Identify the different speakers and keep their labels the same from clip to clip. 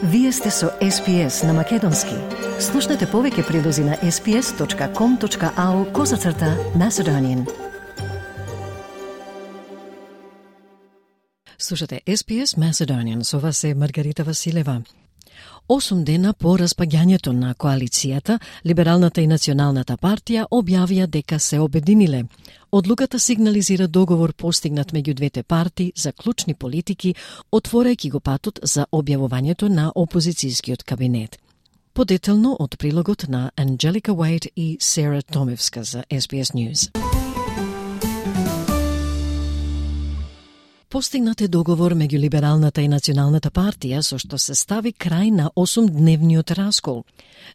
Speaker 1: Вие сте со SPS на Македонски. Слушнете повеќе прилози на sps.com.au/Macedonian. Слушате SPS Macedonian, со вас е Маргарита Василева. 8 дена по распаѓањето на коалицијата, Либералната и Националната партија објавија дека се обединиле. Одлуката сигнализира договор постигнат меѓу двете партии за клучни политики, отворајќи го патот за објавувањето на опозицијскиот кабинет. Подетелно од прилогот на Анджелика Уейт и Сера Томевска за SBS News. Постигнат е договор меѓу Либералната и Националната партија со што се стави крај на 8-дневниот раскол.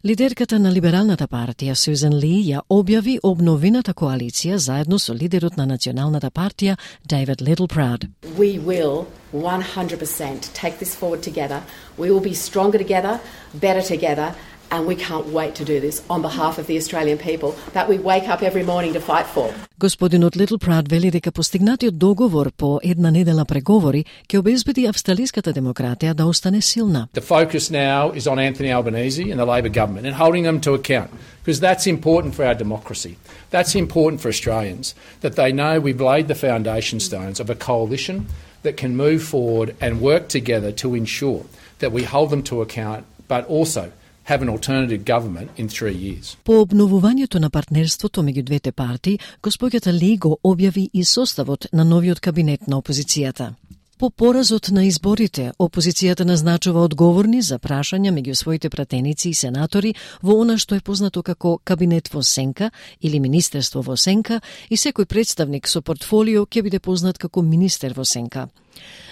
Speaker 1: Лидерката на Либералната партија, Сюзан Ли, ја објави обновената коалиција заедно со лидерот на Националната партија, David Littleproud.
Speaker 2: We will 100% take this forward together. We will be stronger together, better together, and we can't wait to do this on behalf of the Australian people that we wake up every morning to fight for.
Speaker 1: Господинот Littleproud вели дека постигнатиот договор по една недела преговори ќе обезбеди австралиската демократија да остане силна.
Speaker 3: The focus now is on Anthony Albanese and the Labor government and holding them to account, because that's important for our democracy. That's important for Australians, that they know we've laid the foundation stones of a coalition that can move forward and work together to ensure that we hold them to account, but also have an alternative government in 3 years.
Speaker 1: По обновувањето на партнерството меѓу двете партии, госпоѓата Ли го објави и составот на новиот кабинет на опозицијата. По поразот на изборите, опозицијата назначува одговорни за прашања меѓу своите пратеници и сенатори во она што е познато како кабинет во сенка или министерство во сенка, и секој представник со портфолио ќе биде познат како министер во сенка.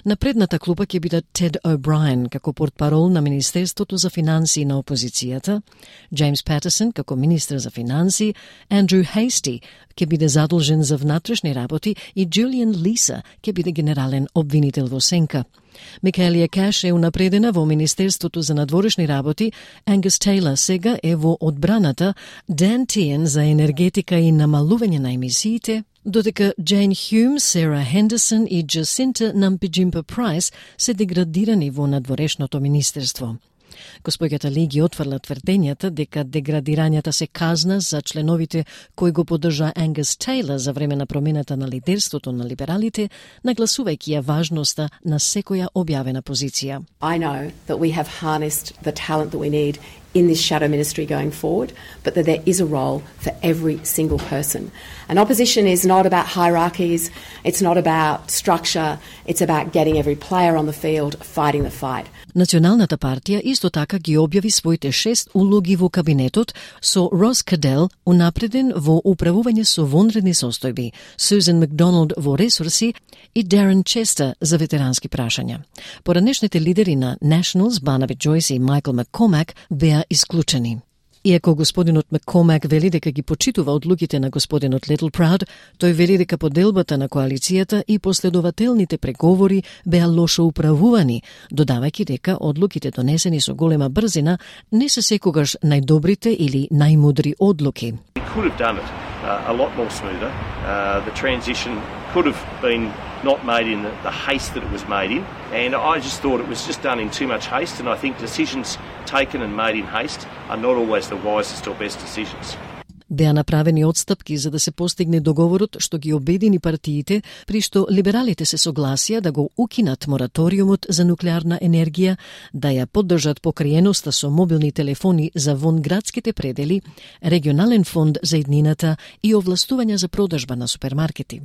Speaker 1: На предната клупа ќе биде Тед О'Брајен како портпарол на Министерството за финансии на опозицијата, Джеймс Патерсон како министер за финансии, Андрю Хейсти ќе биде задолжен за внатрешни работи и Джулиан Лиса ќе биде генерален обвинител во сенка. Микаелија Каш е унапредена во Министерството за надворешни работи, Ангус Тейлор сега е во одбраната, Дан Тиен за енергетика и намалување на емисиите, додека Джейн Хюм, Сера Хендерсон и Джасинта Нампиджимпа Прайс се деградирани во надворешното министерство. Господјата Ли ги отфрла тврдењата дека деградирањата се казна за членовите кои го поддржа Ангус Тейлор за време на промената на лидерството на либералите, нагласувајќи ја важноста на секоја објавена позиција.
Speaker 2: I know that we have harnessed the talent that we need in this shadow ministry going forward, but that there is a role for every single person. And opposition is not about hierarchies, it's not about structure, it's about getting every player on the field fighting the fight.
Speaker 1: Националната партија исто така ги објави своите 6 улоги во кабинетот со Рос Кадел унапреден во управување со вонредни состојби, Сюзан Макдоналд во ресурси и Дарен Честер за ветерански прашања. Поранешните лидери на Nationals, Барнаби Джойс и Майкл Маккомак, беа исклучени. Иако господинот Маккомак вели дека ги почитува одлуките на господинот Littleproud, тој вели дека поделбата на коалицијата и последователните преговори беа лошо управувани, додавајќи дека одлуките донесени со голема брзина не се секогаш најдобрите или најмудри одлуки.
Speaker 4: We could have done it a lot more smoother. The transition could have been not made in the haste that it was made in, and I just thought it was just done in too much haste, and I think decisions taken and made in haste are not always the wisest or best decisions.
Speaker 1: Беа направени отстапки за да се постигне договорот што ги обедини партиите, при што либералите се согласија да го укинат мораториумот за нуклеарна енергија, да ја поддржат покриеноста со мобилни телефони за вонградските предели, регионален фонд за иднината и овластувања за продажба на супермаркети.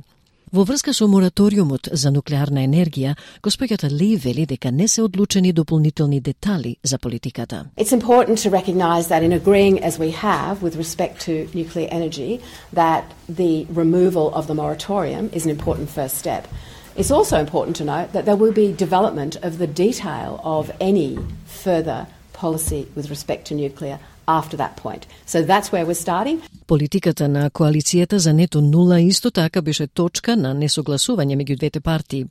Speaker 1: Во врска со мораториумот за нуклеарна енергија, госпоѓата Ли вели дека не се одлучени дополнителни детали за политиката.
Speaker 2: It's important to recognise that in agreeing as we have with respect to nuclear energy, that the removal of the moratorium is an important first step. It's also important to note that there will be development of the detail of any further policy with respect to nuclear after that point. So that's where we're starting.
Speaker 1: Политиката на коалицијата за нето нула исто така беше точка на несогласување меѓу двете партии.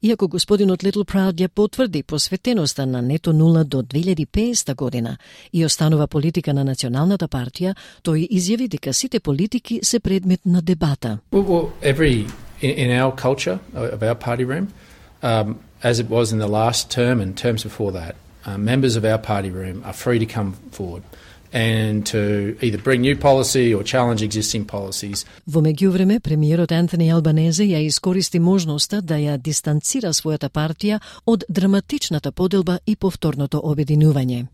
Speaker 1: Иако господинот Littleproud ја потврди посветеноста на нето нула до 2050 година и останува политика на Националната партија, тој изјави дека сите политики се предмет на дебата.
Speaker 3: Well, in our culture of our party room, as it was in the last term and terms before that, members of our party room are free to come forward and to either bring new policy or challenge existing policies.
Speaker 1: Во меѓувреме, премиерот Антони Албанезе ја искористи можноста да ја дистанцира својата партија од драматичната поделба и повторното обединување.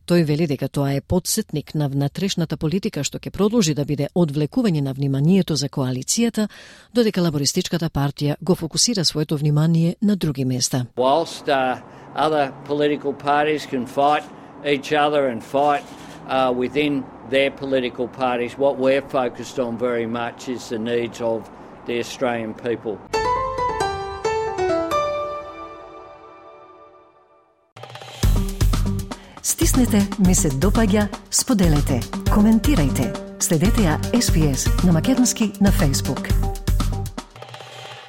Speaker 1: Тој вели дека тоа е потсетник на внатрешната политика што ќе продолжи да биде одвлекување на вниманието за коалицијата, додека лабористичката партија го фокусира своето внимание на други места.
Speaker 5: Whilst other political parties can fight each other and fight within their political parties, what we're focused on very much is the needs of the Australian people.
Speaker 1: Стиснете, ми се допаѓа, споделете, коментирајте. Следете ја SPS на македонски на Facebook.